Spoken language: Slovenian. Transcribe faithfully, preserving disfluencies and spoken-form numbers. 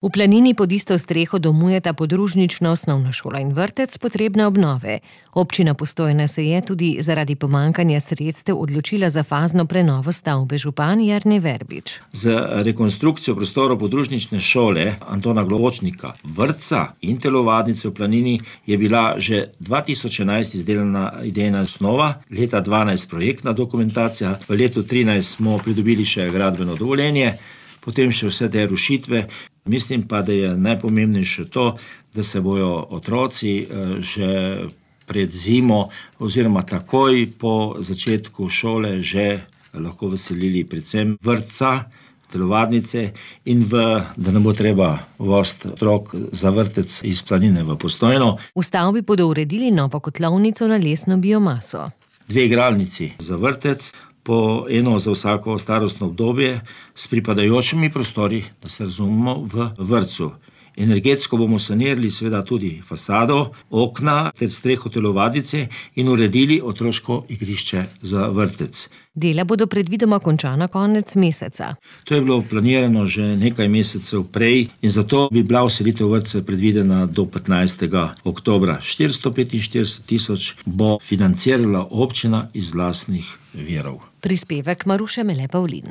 V Planini pod isto streho domujeta podružnična osnovna šola in vrtec, potrebne obnove. Občina Postojna se je tudi zaradi pomanjkanja sredstev odločila za fazno prenovo stavbe. Župan Jernej Verbič. Z rekonstrukcijo prostorov podružnične šole Antona Globočnika, vrtca in telovadnice v Planini je bila že dva tisoč enajst izdelana idejna osnova, leta dvanajst projektna dokumentacija, v letu trinajst smo pridobili še gradbeno dovoljenje, potem še vse te rušitve. Mislim pa, da je najpomembnejše to, da se bojo otroci že pred zimo oziroma takoj po začetku šole že lahko veselili predvsem vrtca, telovadnice in v, da ne bo treba voziti otrok za vrtec iz Planine v Postojno. V stavbi bodo uredili novo kotlovnico na lesno biomaso. Dve igralnici za vrtec, po eno za vsako starostno obdobje, s pripadajočimi prostori, da se razumemo, v vrtcu. Energetsko bomo sanirali seveda tudi fasado, okna ter streho telovadnice in uredili otroško igrišče za vrtec. Dela bodo predvidoma končana konec meseca. To je bilo planirano že nekaj mesecev prej in zato bi bila vselitev vrtca predvidena do petnajstega oktobra. štiristo petinštirideset tisoč bo financirala občina iz lastnih virov. Prispevek Maruše Mele Pavlin.